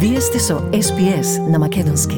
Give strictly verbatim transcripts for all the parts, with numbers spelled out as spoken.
Вие сте со Ес Би Ес на македонски.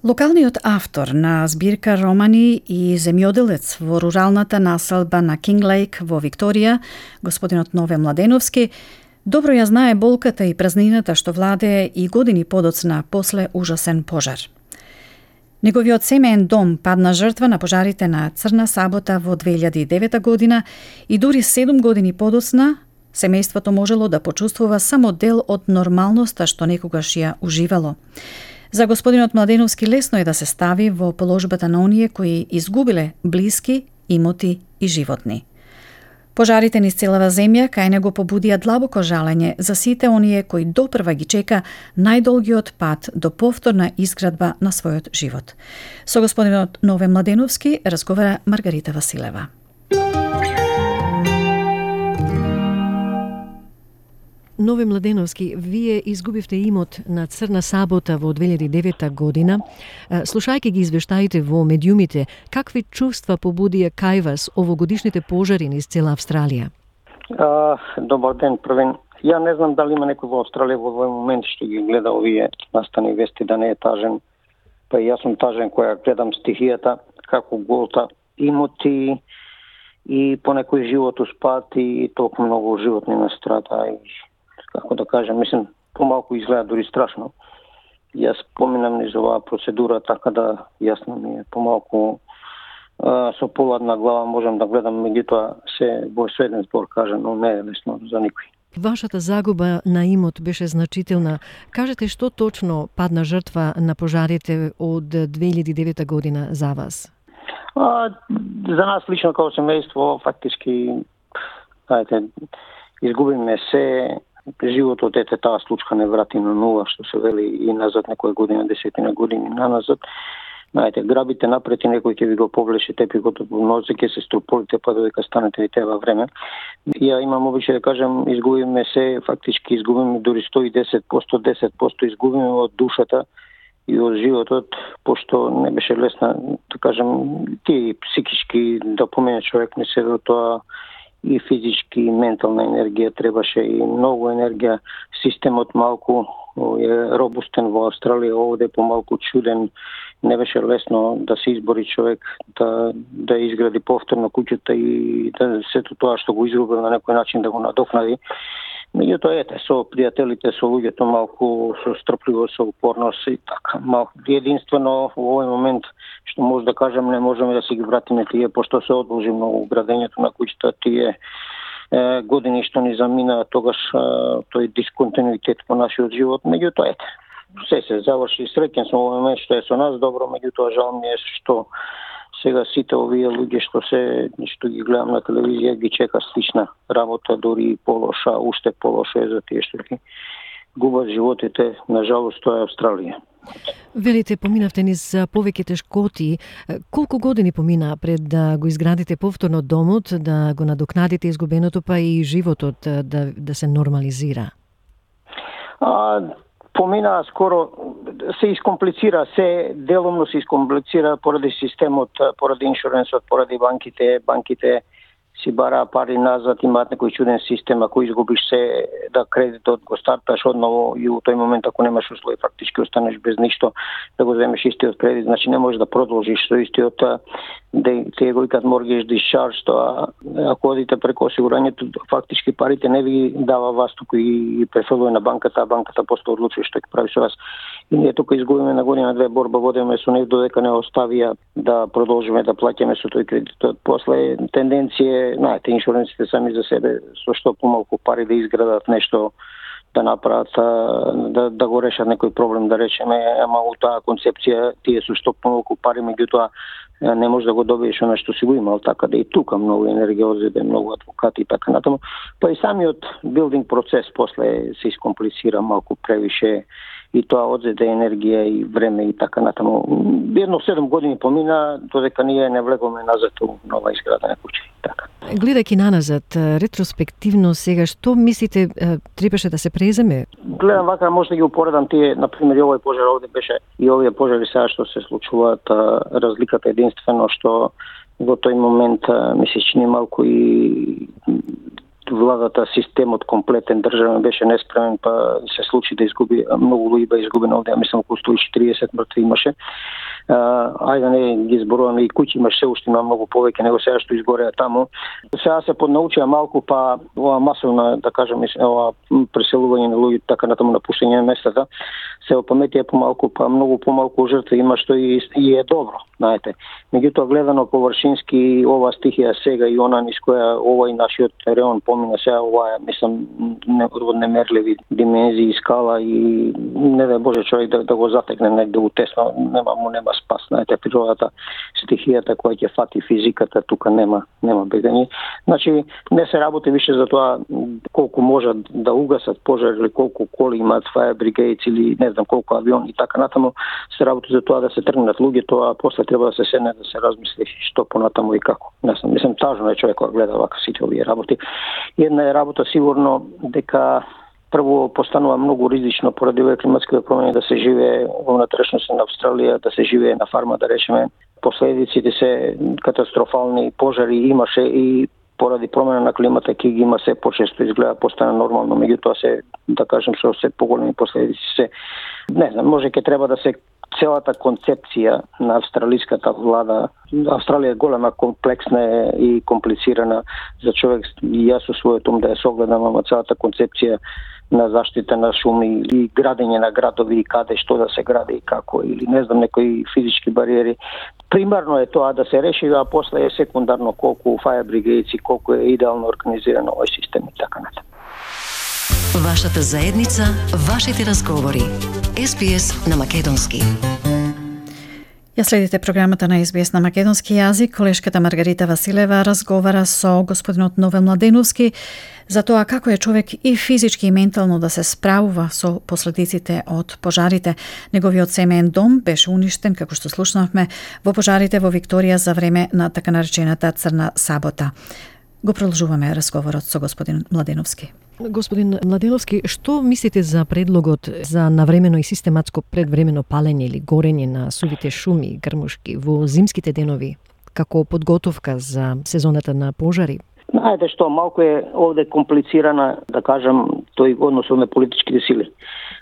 Локалниот автор на збирка романи и земјоделец во руралната населба на Кинглейк во Викторија, господинот Нове Младеновски, добро ја знае болката и празнината што владее и години подоцна после ужасен пожар. Неговиот семеен дом падна жртва на пожарите на Црна сабота во две илјади и девета година и дури седум години подоцна семејството можело да почувствува само дел од нормалноста што некогаш ја уживало. За господинот Младеновски лесно е да се стави во положбата на оние кои изгубиле блиски, имоти и животни. Пожарите низ целава земја кај него побудија длабоко жалење за сите оние кои допрва ги чека најдолгиот пат до повторна изградба на својот живот. Со господинот Нове Младеновски разговара Маргарита Василева. Нове Младеновски, вие изгубивте имот на Црна сабота во две илјади и девета година. Слушајќи ги извештаите во медиумите, какви чувства побудија кај вас овогодишните пожари низ цела Австралија? А, добар ден, Првен. Ја не знам дали има некој во Австралија во овој момент што ги гледа овие настани вести да не е тажен. Па и јас сум тажен која гледам стихијата, како голта имоти и понекој живот успат и толку многу животни настрада и како да кажем, мислам, помалку изгледа дури страшно. Јас поминам низ оваа процедура, така да јасно ми е помалку а, со поладна глава можам да гледам, меѓутоа се во сведен збор кажам, но не е лесно за никој. Вашата загуба на имот беше значителна. Кажете што точно падна жртва на пожарите од две илјади и девета година за вас? А, за нас лично како семејство, фактички, знаете, изгубиме се. Животот ете таа случка не врати на нула, што се вели и назад некоја година, десетина години на назад. Знаете, грабите напред и некој ќе ви го повлече тепикот од нозе, ќе се струполите па додека станете и тева време. Ја имам обичај да кажам, изгубиме се, фактички изгубиме дури сто и десет проценти, десет проценти изгубиме од душата и од животот, пошто не беше лесна, да кажам, тие психички да помене човек не се до тоа, и физички, и ментална енергија требаше и многу енергија. Системот малку е робустен во Австралија, овде помалку чуден. Не беше лесно да се избори човек да да изгради повторно куќата и да сето тоа што го изгубил на некој начин да го надокнади. Меѓутоа, ете, со пријателите, со луѓето малку, со стрпливост, со упорност и така. Малку единствено во овој момент што може да кажам, не можеме да си ги вратиме тие, пошто се одложи многу градењето на куќата, тие е, години што ни замина, тогаш е, тој дисконтинуитет по нашиот живот. Меѓутоа, ете, се се заврши. Среќен сум во овој момент што е со нас добро, меѓутоа жал ми е што сега сите овие луѓе што се што ги гледам на телевизија ги чека слична работа, дури и полоша, уште полоша е за тие што ги губат животите, на жалост тоа е Австралија. Велите, поминавте низ повеќе тешкоти. Колку години помина пред да го изградите повторно домот, да го надокнадите изгубеното, па и животот да да се нормализира? А, помина скоро, се искомплицира, се деломно се искомплицира поради системот, поради иншуренсот, поради банките, банките си бараа пари назад, имаат некој чуден систем, ако изгубиш се, да кредитот го старташ одново и у тој момент ако немаш услови, фактички останеш без ништо, да го земеш истиот кредит, значи не можеш да продолжиш со истиот, да те го викаат mortgage discharge, тоа ако одите преку осигурањето, фактички парите не ви дава вас, туку и префрлува на банката, а банката после одлучува што ќе прави со вас. И ние тука изгубиме на година две борба водиме со нив додека не оставија да продолжиме да плаќаме со тој кредитот. После тенденција, знаете, иншуренците сами за себе со што помалку пари да изградат нешто, да направат, да, да го решат некој проблем, да речеме, ама у таа концепција тие со што помалку пари, меѓутоа не може да го добиеш она што си го имал, така да и тука многу енергија одзеде, многу адвокати и така натаму. Па и самиот билдинг процес после се искомплицира малку превише и тоа одзеде енергија и време и така натаму. Едно седум години помина, додека ние не влегоме назад у нова изградена куќа. Така. Гледајќи наназад, ретроспективно сега, што мислите требаше да се преземе? Гледам вака, може да ги упоредам тие, например, и овој пожар овде беше и овие пожари сега што се случуваат, разликата единствено што во тој момент ми се чини малку и владата, системот комплетен државен беше неспремен, па се случи да изгуби многу луѓе, беа изгубени овде, мислам околу сто и четиридесет мртви имаше. Uh, ајде не ги зборуваме, и куќи имаш се уште има многу повеќе него сега што изгореа таму. Сега се поднаучија малку, па ова масовна, да кажем, ова преселување на луѓе, така натаму напуштање на местата, се опаметија помалку, па многу помалку жртви има, што и, и е добро, знаете. Меѓутоа гледано површински, ова стихија сега и она низ која овој нашиот район помина сега, ова е, мислам, од немерливи димензии, скала и не дај Боже човек да, да го затегне негде утесно, нема му нема спас, знаете, природата, стихијата која ќе фати физиката, тука нема нема бегање. Значи не се работи више за тоа колку можат да угасат пожар или колку коли имаат fire brigades или не знам колку авиони и така натаму, се работи за тоа да се тргнат луѓе, тоа после треба да се седне да се размисли што понатаму и како. Не знам, мислам тажно е човек кога гледа вака сите овие работи. Една е работа сигурно дека прво постанува многу ризично поради овие климатски промени да се живее во внатрешноста на Австралија, да се живее на фарма, да речеме. Последиците се катастрофални, пожари имаше и поради промена на климата ќе ги има се почесто, изгледа постана нормално, меѓутоа се, да кажем, со се поголеми последици се. Не знам, може ќе треба да се целата концепција на австралиската влада. Австралија е голема, комплексна и комплицирана за човек и јас со својот ум да ја согледам, ама целата концепција на заштита на шуми и градење на градови и каде што да се гради и како, или не знам, некои физички бариери. Примарно е тоа да се реши, а после е секундарно колку fire brigades и колку е идеално организирано овој систем и така натаму. Вашата заедница, вашите разговори. Ес Би Ес на македонски. Ја следите програмата на Ес Би Ес на македонски јазик. Колешката Маргарита Василева разговара со господинот Нове Младеновски за тоа како е човек и физички и ментално да се справува со последиците од пожарите. Неговиот семеен дом беше уништен, како што слушнавме, во пожарите во Викторија за време на така наречената црна сабота. Го продолжуваме разговорот со господин Младеновски. Господин Младеновски, што мислите за предлогот за навремено и систематско предвремено палење или горење на сувите шуми и грмушки во зимските денови како подготовка за сезоната на пожари? Знаете што, малку е овде комплицирана, да кажам, тој односот на политичките сили.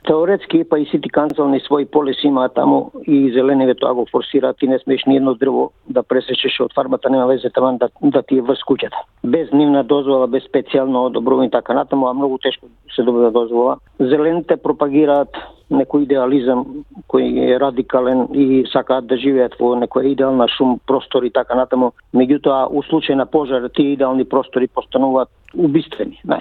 Теоретски, па и сити канцелни своји полиси имаат таму и зелениве тоа го форсираат, ти не смееш ни едно дрво да пресечеш од фармата, нема везе таман да, да ти е врз куќата. Без нивна дозвола, без специјално одобрување и така натаму, а многу тешко се добива дозвола. Зелените пропагираат некој идеализам кој е радикален и сакаат да живеат во некоја идеална шум простори и така натаму. Меѓутоа, у случај на пожар, тие идеални простори постануваат убиствени. Не.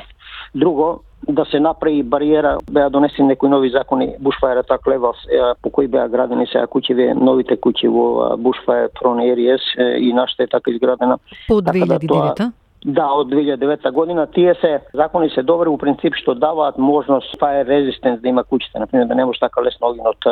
Друго, да се направи бариера, беа донесени некои нови закони, Bushfire Attack Levels, по кои беа градени сега куќи, новите куќи во Bushfire Prone Areas и нашата е така изградена. По две илјади и девета? Да, од две илјади и девета година. Тие се закони се добри у принцип што даваат можност fire resistance да има куќите, например да не може така лесно огнот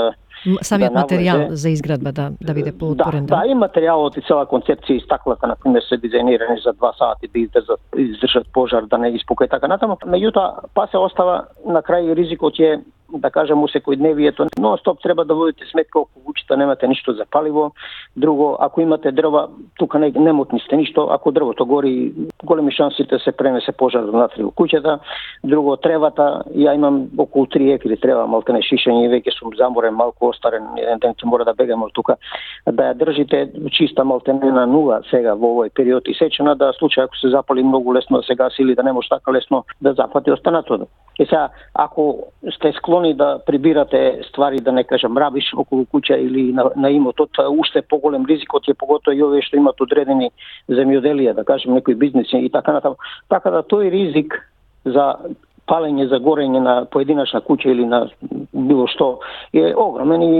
самиот да материјал за изградба да да биде поотпорен. Да, да, и материјалот и цела концепција и стаклата например се дизајнирани за два сати да издржат, издржат пожар, да не ги спука и така натаму. Меѓутоа, па се остава на крај ризикот е, да кажем, у секојдневието. Нон-стоп треба да водите сметка околу куќата, немате ништо за паливо. Друго, ако имате дрва, тука не немотни сте ништо, ако дрвото гори, големи шансите се пренесе пожар внатре во куќата. Друго, тревата, ја имам околу три екри трева, малтене шишење, веќе сум заморен, малку остарен, еден ден ќе мора да бегам од тука, да ја држите чиста малтене на нула сега во овој период и сечена, да случај ако се запали многу лесно да се гаси или да не може така лесно да запати останатото. И сега, ако сте склони да прибирате ствари, да не кажам рабиш околу куќа или на, на имотот, уште поголем ризикот е, поготоа и овие што имат одредени земјоделија, да кажем некои бизниси и така натаму. Така да тој ризик за палење, за горење на поединачна куќа или на било што е огромен и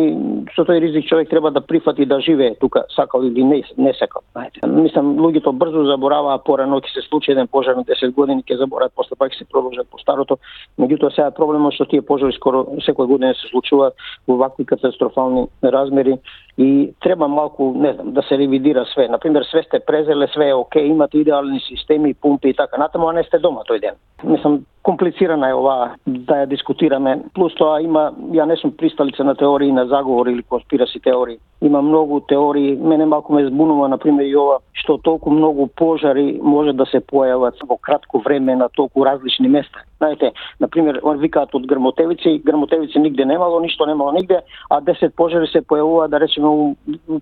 со тој ризик човек треба да прифати да живее тука, сакал или не, не сакал. Мислам, луѓето брзо забораваа, порано ќе се случи еден пожар на десет години, ќе забораат, после пак ќе се продолжат по старото. Меѓутоа сега проблемот што тие пожари скоро секоја година се случуваат во вакви катастрофални размери и треба малку, не знам, да се ревидира све. Например, све сте презеле, све е окей, имате идеални системи, пумпи и така натаму, а не сте дома тој ден. Мислам, комплицирана е ова да ја дискутираме. Плюс тоа има ја не сум присталица на теории на заговори или конспираси теории. Има многу теории, мене малку ме збунува, например, и ова, што толку многу пожари може да се појават во кратко време на толку различни места. Знаете, например, викаат од грмотевици, грмотевици нигде немало, ништо немало нигде, а десет пожари се појавува, да речеме, у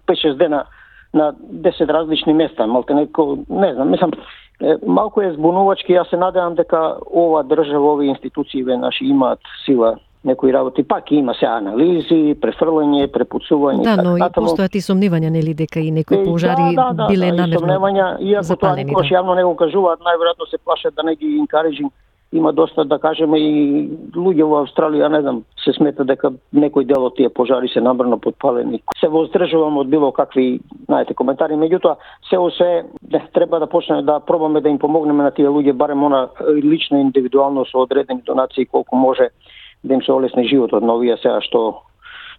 пет-шест дена на десет различни места. Малте неко, не знам, мислам, малку е збунувачки, јас се надевам дека ова држава, овие институции наши имаат сила. Некои работи пак има се анализи, префрлање, препуцување. Да, но и постојат и сомневања, нели, дека и некои пожари да, да, биле да, намерно сомневања, иако тоа никогаш да. јавно не го кажуваат, најверојатно се плашат да не ги инкариджим. Има доста, да кажеме, и луѓе во Австралија, не знам, се смета дека некој дел од тие пожари се намерно подпалени. Се воздржувам од било какви, знаете, коментари, меѓутоа се се не, треба да почнеме да пробаме да им помогнеме на тие луѓе, барем она лично, индивидуално со одредени донации колку може да им се олесни животот на овие сега што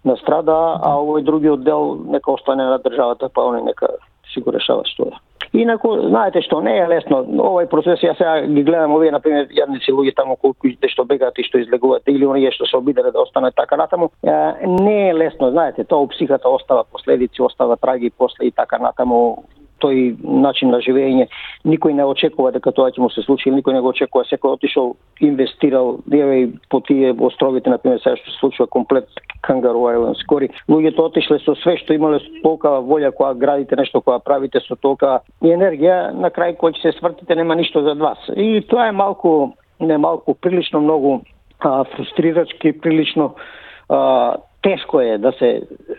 настрада, а овој другиот дел нека остане на државата, па они нека си го решават што да. Инаку, знаете што, не е лесно. Овој процес, ја сега ги гледам овие, например, јадници луѓе таму колку што бегаат и што излегуваат, или оние што се обиделе да останат така натаму, не е лесно, знаете, тоа у психата остава последици, остава траги после и така натаму. Тој начин на живење, никој не очекува дека тоа ќе му се случи, никој не го очекува, секој отишол, инвестирал, еве по тие островите, например, сега што се случува комплет Kangaroo Island, скори. Луѓето отишле со све што имале, со толка волја кога градите нешто, кога правите со толка и енергија, на крај кој ќе се свртите нема ништо за вас. И тоа е малку, не малку, прилично многу а, фрустрирачки, прилично а, тешко е да се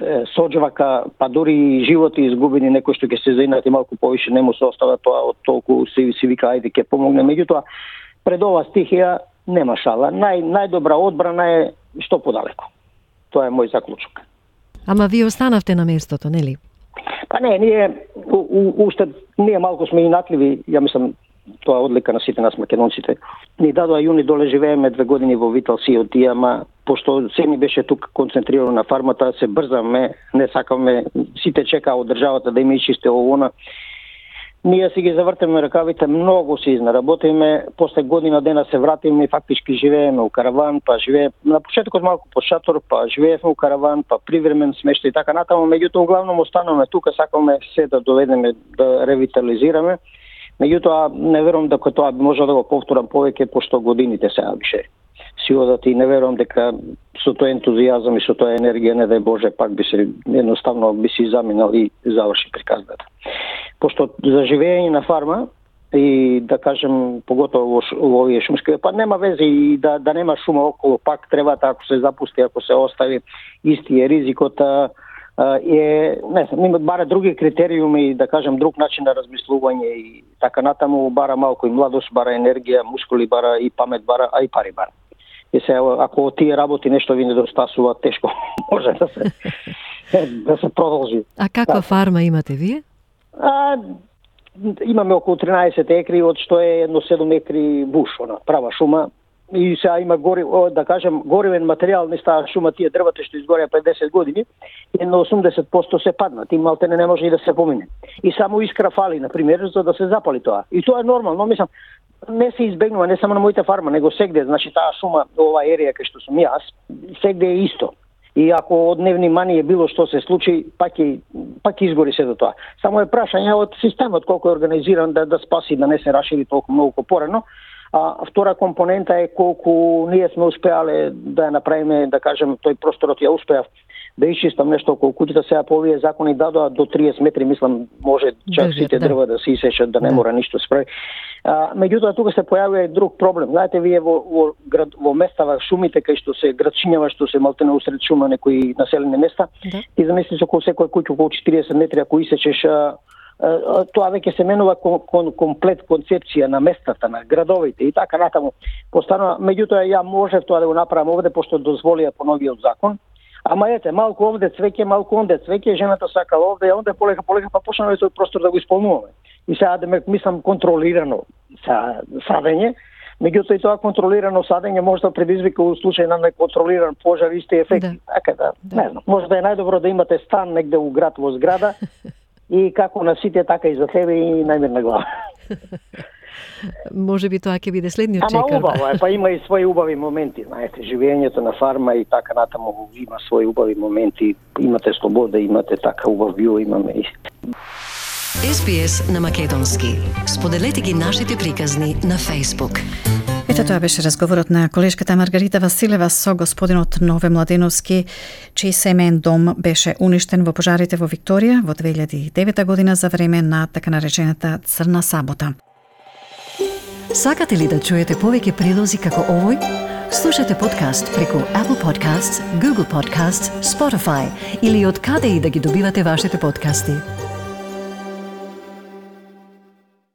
е, соџвака, па дури и животи изгубени, некои што ќе се заинати малку повише, не му се остава тоа од толку, си, си вика, ајде ќе помогне. Меѓутоа, пред ова стихија нема шала. Нај, најдобра одбрана е што подалеку. Тоа е мој заклучок. Ама вие останавте на местото, нели? Па не, ние у, у, уште ние малку сме инатливи, ја мислам, тоа е одлика на сите нас македонците. Ни дадоа јуни доле живееме две години во Витал Си од тие, ама пошто се ни беше тук концентрирано на фармата, се брзаме, не сакаме, сите чекаа од државата да им ичисте овона. Ние си ги завртеме ракавите, многу се изнаработиме, после година дена се вратиме и фактички живееме у караван, па живееме на почетокот малку под шатор, па живеевме у караван, па привремен смешта и така натаму, меѓутоа главно остануваме тука, сакаме се да доведеме, да ревитализираме. Меѓутоа не верувам дека тоа може да го повторам повеќе, пошто годините сега више си одат и не верувам дека со тој ентузијазам и со тоја енергија, не дај Боже, пак би се едноставно би си заминал и заврши приказната. Пошто за живење на фарма и да кажем поготово во овие шумски, па нема везе и да да нема шума околу, пак треба ако се запусти, ако се остави, исти е ризикот, е, не знам, има бара други критериуми, да кажем друг начин на размислување и така натаму, бара малку и младост, бара енергија, мускули бара и памет бара, а и пари бара. И се ако тие работи нешто ви недостасува, тешко може да се да се продолжи. А каква да. фарма имате вие? А, имаме околу тринаесет екри, од што е едно седум екри буш, она права шума. И сега има гори, да кажем, горивен материјал, не става шума, тие дрвата што изгорија пред десет години, едно осумдесет проценти се паднат и малтене не може и да се помине. И само искра фали, например, за да се запали тоа. И тоа е нормално, мислам, не се избегнува не само на мојата фарма, него сегде, значи таа шума, ова ерија кај што сум јас, сегде е исто. И ако од невнимание било што се случи, пак е, пак изгори се до тоа. Само е прашање од системот колку е организиран да да спаси, да не се рашири толку многу порано. А втора компонента е колку ние сме успеале да ја направиме, да кажем, тој просторот ја успеав да исчистам нешто околу куќата, сега по овие закони дадоа до триесет метри, мислам, може чак сите да. дрва да се исечат, да не да. мора ништо справи. А, меѓутоа тука се појавува и друг проблем. Знаете, вие во во град во местава шумите кај што се градчињава, што се малтене усред шума некои населени места, да. и замислиш околу секој куќа околу четириесет метри ако исечеш, а, а, тоа веќе се менува кон, кон, комплет концепција на местата, на градовите и така натаму. Постанува, меѓутоа ја можев тоа да го направам овде пошто дозволија по новиот закон. Ама ете, малку овде цвеќе, малку онде цвеќе, жената сакала овде, онде полека, полека, па почнаме тој простор да го исполнуваме. И сега да ме, мислам, контролирано са, садење, меѓутоа и тоа контролирано садење може да предизвика у случај на неконтролиран пожар исти ефекти. Да. Така да, да, не знам, може да е најдобро да имате стан негде у град во зграда и како на сите, така и за тебе и најмирна глава. Може би тоа ќе биде следниот Ама чекор. убаво е, па има и своји убави моменти, знаете, живењето на фарма и така натаму има своји убави моменти, имате слобода, имате така убав био, имаме и Ес Би Ес на македонски. Споделете ги нашите приказни на Facebook. Ето тоа беше разговорот на колешката Маргарита Василева со господинот Нове Младеновски, чиј семеен дом беше уништен во пожарите во Викторија во две илјади и девета година за време на така наречената Црна сабота. Сакате ли да чуете повеќе прилози како овој? Слушате подкаст преку Apple Podcasts, Google Podcasts, Spotify или од каде и да ги добивате вашите подкасти.